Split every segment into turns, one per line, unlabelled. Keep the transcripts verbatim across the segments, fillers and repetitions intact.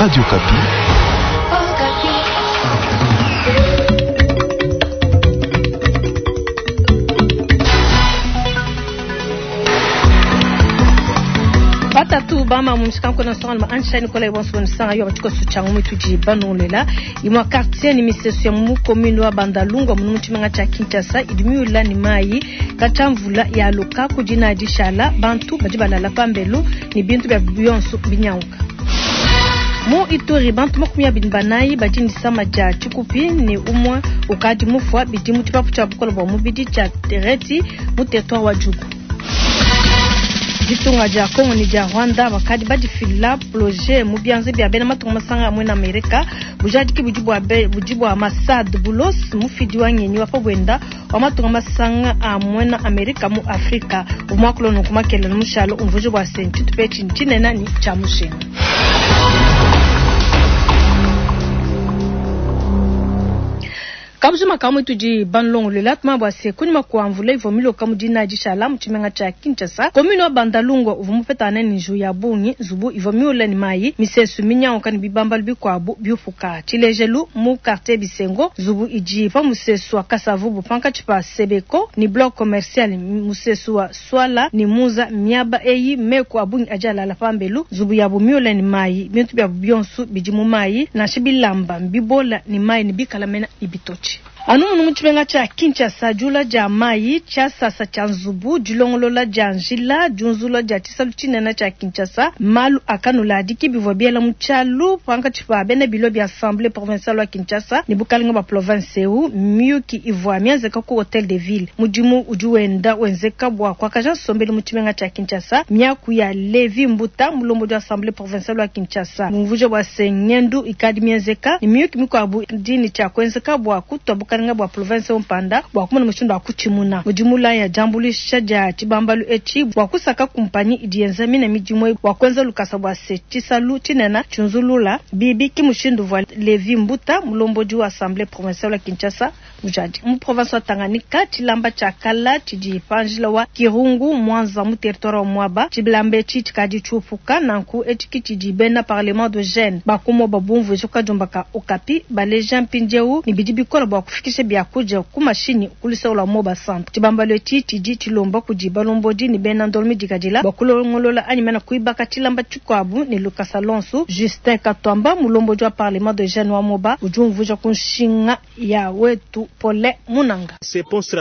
Radio Okapi.
Batatu bama mumshikanko na songa ma ansha Nicolas Bonso nsanga yo batiko suchango mituji banolela imwa quartier ni misesu ya mu commune wa Bandalungwa mu muchimenga cha Kinshasa idimiula ni mai kachamvula ya loka kujina dishala bantu badi balala pambelu ni bintu bya bionso binyauka. Mu Ituri bantu makumi abiri banayi badi ni sama dia tshikupi ni umwe ukadi mufwa bidi mu tshipapu tshia bukola bua mubidi tshia Tereti mu territoire wa Djugu. Ditunga dia Congo ni dia Rwanda bakadi badifila projet mu bianze bia bena matunga masanga amwe na Amerika bujadiki budi bua budi bua Massad Boulos mufidi wa ngenyi wa pabwenda wa matunga masanga amwe na Amerika mu Afrika umwakulo nukumakela mushalo umvuje bua senti tupechi nchinena ni cha mushinga. Kabujuma kamwe tudi banlongolela tuma bua se kunyima kua mvula ivua miloka mu dina dishala mu tshimenga tshia Kinshasa commune wa Bandalungwa uvua mupetana ne nju ya bungi nzubu ivua miula ni mayi misesu minyanguka ne bibambalu bikuabu biupuka tshilejelu mu quartier Bisengo nzubu idi pa musesu wa Kasavubu pankatshi pa Sebeko ni bloc commercial musesu wa Swala ni Muza miaba eyi meku abungi adi alala pambelu nzubu yabu miula ni mayi bintu bia bionso bidi mu mayi nansha bilamba bibola ni mayi ni bikala mena ibitochi. Anu munu muchimenga cha Kinshasa jula ja mai cha sasa cha nzubu dilongolola ja njila junzula ja tshisalu tshinene cha Kinshasa malu akanula adiki bivua biela mu tshialu pankatshi pa bena bilo bia assemblée provinciale wa Kinshasa ne bukalenga bua province eu miyuki ivua mienzeka ku hotel de ville mudimu udi wenda wenzeka bua kuakaja nsombelu mu tshimenga cha Kinshasa miaku ya Levi Mbuta mulombodi wa assemblée provinciale wa Kinshasa mumvuje bua se ngendu ikadi mienzeka ne miyuki mikuabu dini tshia kuenzeka bua kutua bukalenga bua province Mpanda bua kumona mushindu wa kutshimuna mudimula ya jambulisha dia tshibambalu etshi bua kusaka kumpanyi idi yenza mina midimu bua kuenza lukasa bua se tshisalu tshinene tshinzulula bibi ki mushindu vua Levi Mbuta mulombodi wa assemblée provinciale wa Kinshasa mujadi mu province wa Tanganyika tshilamba tshia kala tshidi panjila wa Kirungu Mwanza mu territoire wa Mwaba tshibilamba etshi tshikadi tshiupuka nanku etshi tshidi bena parlement de jeunes bakumo babumvu ka ka Okapi baleja mpindieu ni bidi bikola bua kufikisha byakuja ku mashini kulisa ula moba centre tshibambalo etshi tshidi tshilomba kudi balombodi ni bena ndolomi dikadila bakulongolola anyi mena kuibaka tshilamba tshikuabu ni Lucas Alonso Justin Katwamba mulombodi wa parlement de jeunes wa Moba udi umvuja ku nshinga ya wetu Pole Munanga.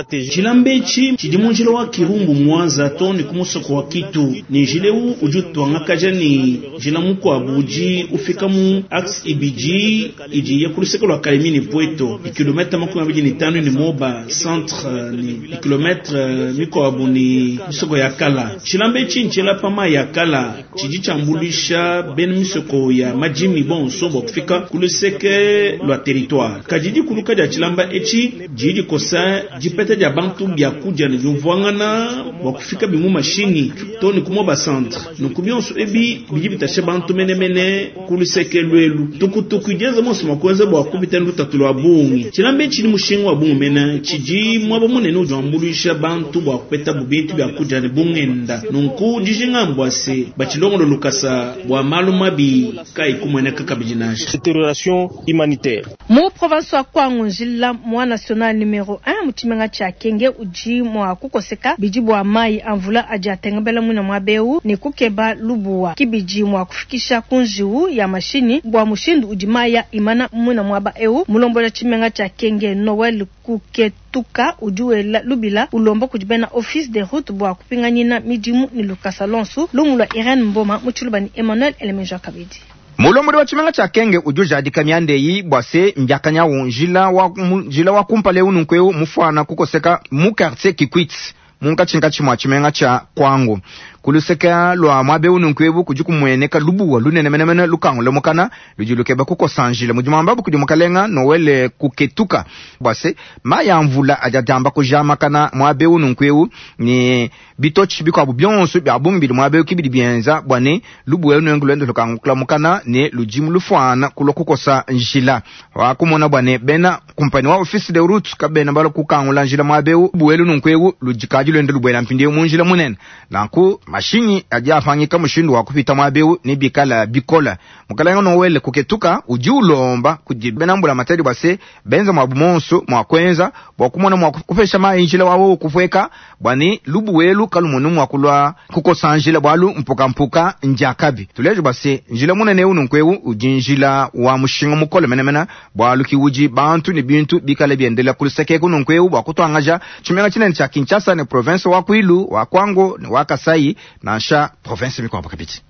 Tshilamba etshi tshidi mu njila wa Kirungu Mwanza to ni ku musoko wa Kitu ni njila eu udi utuangakaja ni njila mukuabu udi ufika mu axe ibidi idi ya ku luseke lua Kalemi ni Pweto ikilomètre makumi abidi ni tano ni Moba centre ni kilometre mikuabu ni misoko ya kala tshilamba etshi ntshila pama ya kala tshidi tshiambulisha bena misoko ya majimi bonso bua kufika ku luseke lua territoire kadidi kuluka dia tshilamba etshi didi kosa dipeta dia bantu bia kudia ne diumvuangana bua kufika bimu mashini to ni ku Moba centre nunku bionso ebi bidi bitasha bantu menemene ku luseke luelu tukutuku idienza monso mua kuenza bua kupita lutatu lua bungi tshilamba etshi ni mushinga wa bungi mena tshidi mwaba munene udi wambuluisha bantu bua kupeta bubintu bia kudia ne bungenda nunku dijinga mbua se batshilongolo lukasa bua malu mabi kayi kumueneka kabidi nansha.
Détérioration humanitaire
mu province wa Kwango njila mwa national numero un mu tshimenga tshia Kenge udi mua kukoseka bidi bua mai amvula adi atengabela mwina mwa beu ne kukeba lubuwa kibidi mua kufikisha kunjiwu ya mashini bua mushindu udi maya imana mwina mwaba eu mulombola tshimenga tshia Kenge Noel Kuketuka udi wela lubila ulomba kudi bena office de route bua kupinganyina midimu ni Lucas Alonso lumu lwa Irene Mboma mu tshiluba ni Emmanuel Elemenja Kabidi.
Mulombodi wa tshimenga tshia Kenge udi ujadika miandeyi bua se mbiakanyawu njila wa njila wa kumpala eu nunku eu mufuana kukoseka mu quartier Kikwit munkatshinkatshi mua tshimenga tshia Kwango kuluseka lua muaba eu nunku ebu kudi kumueneka lubuwa lunene menemene lukangu mukana ludi lukeba kukosa njila mudi muambabu kudi mukalenga Noel Kuketuka bua se mayi a mvula adi adiamba kujamakana muaba eu nunku eu ni bitotshi bikuabu bionso bia bungi bidi muaba eu kibidi bienza bua ne lubuwa eu luende lukangu mukana ne ludimu lufuana kulua kukosa njila wakumona bua ne bena kumpani wa office de route kabena bala kukangula njila muaba eu buelu nunku eu ludikadi luende lubuela mpindieu mu njila munene nanku Mashinyi adi apangika mushindu wa kupita muaba eu ne bikala bikola. Mukalenga Noel kuketuka udi ulomba kudi bena mbula matadi bua se benza muabu monso mua kuenza bua kumona mua kupesha mayi njila wawo kupueka bua ne lubuwelu kalumunu mua kulua kukosa njila bwalu mpuka mpuka njakabi. Tuleje bua se njila munene eu nunku eu udi njila wa mushinga mukole menemene bwalu ki udi bantu ne bintu bikale biendela kuluseke nunku eu bua kutuangaja tshimenga tshinene tshia Kinshasa ne province wa Kwilu wa Kwango ne wa Kasai nansha province mikuabu kabidi.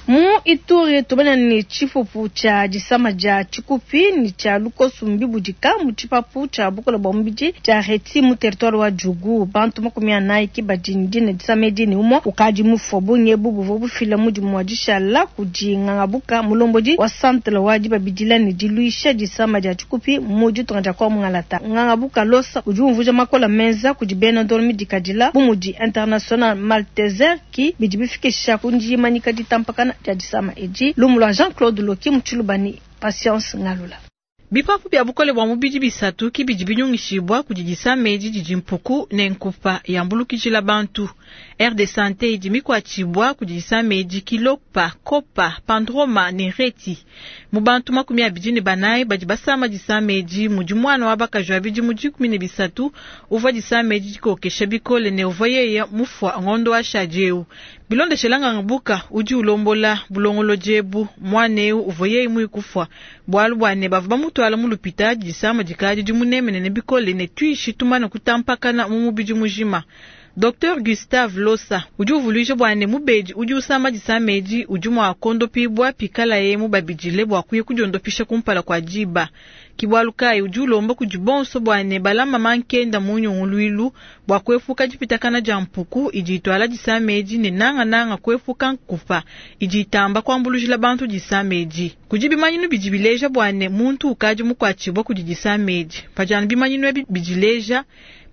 Mu Ituri tubana ni chifufu cha disama ja chikupi ni cha lukosu mbibudika mu chipapu cha bukola bwa mubidi cha reti mu territoire wa Djugu. Bantu makumi anayi ki badi dine disama edi ne umwe ukadi mufua bunge bubu bufila mudimu wa dishala kudi ngangabuka mulombodi wa centre wa dibabidila ne diluisha disama dia chikupi mu ditunga dia kwa mungalata. Ngangabuka losa udi umvuja makola menza kudi bena ndolo midikadila bu mudi International Malteser ki bidi bifikisha kundi manika ditampakana ya disama edi lumulwa Jean-Claude Loki mutshilubani Patience Ngalula.
Bipapu bya bukole bwa mubidi bisatu kibidi binyungishibwa kudi disama edi didi mpuku ne nkupa yambulukijila bantu. Aire de santé idi mikwatshibwa kudi disama edi kilopa, kopa, pandroma ne reti. Mu bantu makumi abidi ne banayi badi basama disama edi mudi mwana wa bakaji abidi mu dikumi ne bisatu uvua disama edi dikokesha bikole ne uvua yeye mufua ngondo wa shadi eu. Bilondeshela ngangabuka udi ulombola bulongolo jebu mwana eu uvua yeye muikufua bwalu bwane bavua bamutwala mu lupita disama dikadi dimunemenene bikole ne tuishi tumana kutampakana mu mubidi mujima. Docteur Gustave Losa udi uvuluija bwane mubedi udi usama disama edi udi mua kondopibwa pikala ye mubabidile bua kuya kudiondopisha kumpala kwa diba. Kibwalukai udi ulomba kudi bonso bwane balama mankenda mu nyunguluilu bua kuepuka dipitakana dia mpuku idi itwala disama edi ne nanga-nanga kuepuka nkupa idi itamba kuambulujila bantu disama edi. Kudi bimanyinu bidi bileja bwane muntu ukadi mukuatshibwa kudi disama edi. Pajana bimanyinu ebi bidileja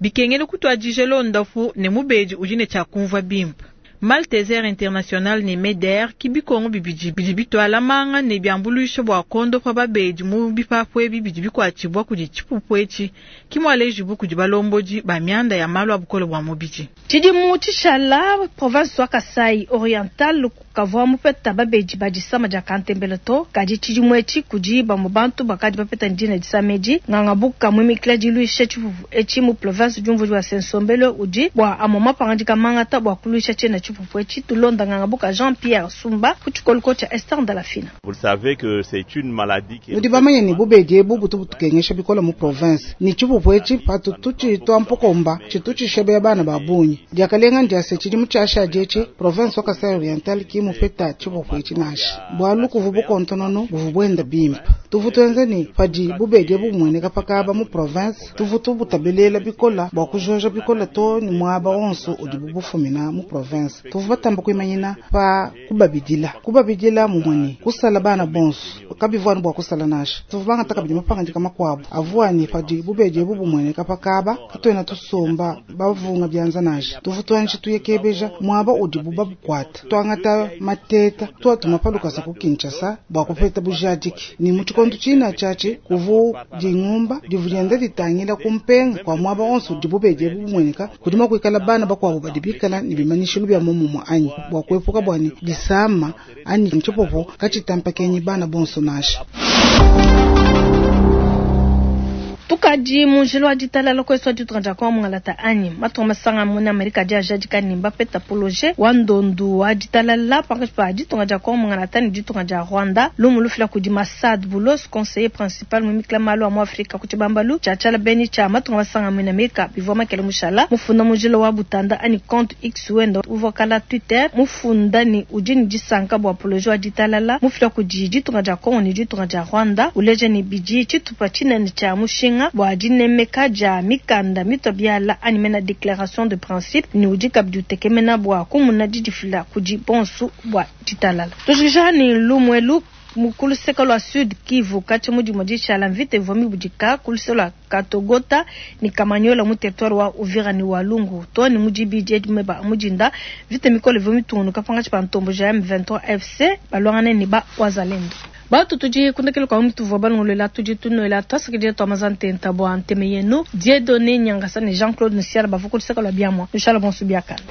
bikengele kutuadija londafu ne mubedi udi ne tshia kumvua bimpe. Malteser International ne Meder ki bikongo bibidi bidi bitwala manga ne byambuluisha bua kondopa babedi mu bipapu ebi bidi bikuatshibwa kudi tshipupu etshi ki mualejibu kudi balombodi ba mianda ya malu a bukole bua mubidi.
Tshidimu tshishala province wa Kasai Oriental kavua mupeta babedi ba disama dia kantembele to kadi tshidimu etshi kudi bamue bantu bakadi bapeta ndina disama edi ngangabuka muimikila diluisha tshipupu etshi mu province diumvudi wa Sensombelo udi bua amue mapangadika mangata bua kuluisha tshiena tshipupu etshi tulonda ngangabuka Jean-Pierre Sumba ku tshikoloko tshia Esther Ndalafina.
Vous savez que c'est une maladie qui
nudi bamanye ne bubedi ebu butu butukengesha bikola mu province ni tshipupu etshi patu tutshitwa mpukomba tshitu tshishebea bana ba bungi diakalenga ndiase tshidimu tshiashadi etshi province wa Kasai Oriental ki mupeta tshipupu etshi nansha bwalu kuvu bukontonono buvu bwenda bimpe tuvu tuenze ni padi bubedi ebu bumueneka pakaba mu province tuvu tubutabelela bikola bua kujoja bikola to ni muaba onso udi bubufumina mu province tuvu batamba kuimanyina pa kubabidila kubabidila mumweni kusala bana bonso kabivwani bua kusala nasha tuvu bangataka bidi mapangadika makuabu avuani padi bubedi ebu bumueneka pakaba katuena tusomba bavunga byanza nasha tuvu tuanji tuyekebeja muaba udi bubabukwata tuangata mateta tuatuma palukasa ku Kinshasa bua kupeta bujadiki ni mu tshikondo tshina tshiatshi kuvu dingumba divu dienda ditangila kumpenga kwa muaba onso udi bubedi ebu bumueneka kudima kuikala bana bakuabu badi bikala ne bimanyishilu bya mumumu anyi bua kuepuka bwani disama anyi ntshipopo katshitampakenyi bana bonso nasha.
Tukadi munjilo wa ditalala kwesu ditunga kwa mungalata anyi matunga masanga muna Amerika dia jadika ni bapeta poloje wa ndondu wa ditalala pankatshi pa ditunga kwa mungalata ni ditunga dia Rwanda lumu lufila kudi Masad Boulos conseiller principal mu mikla malu a mu Afrika ku tshibambalu tshia tshala beni tshia matunga masanga muna Amerika bivua makele mushala mufunda munjilo wa butanda anyi compte X wenda uvua kala Twitter mufunda ni udi ni disanka bua poloje wa ditalala mufila kudi ditunga dia Congo ni ditunga dia Rwanda uleja ni bidi tshitupa tshinene tshia mushinga bua dinemeka dia mikanda mitobiala anyi mena déclaration de principe ni udi kabidi utekemena bua kumuna didifila kudi bonsu bua ditalala. Tushikisha ni lumwelu Mu ku luseka lua Sud Kivu, katshia mu dimua dishala mvita ivua mibudika ku luseka lua Katogota ne Kamanyola mu territoire wa Uvira ne Walungu. Too ne mu dibidi edi meba a mu dinda, mvita mikole ivua mitungunuka pankatshi pa ntomboji ya M vingt-trois F C baluangane ne ba Wazalendo. Batu tudi ku ndekelu kua mutuvua balongolola, tudi tunuela tuasakidila tua maza ntenta bua nteme yenu. Dieudonné Nyangasa ne Jean-Claude Nsiala bavua ku luseka lua biamua. Nushala bonso biakane.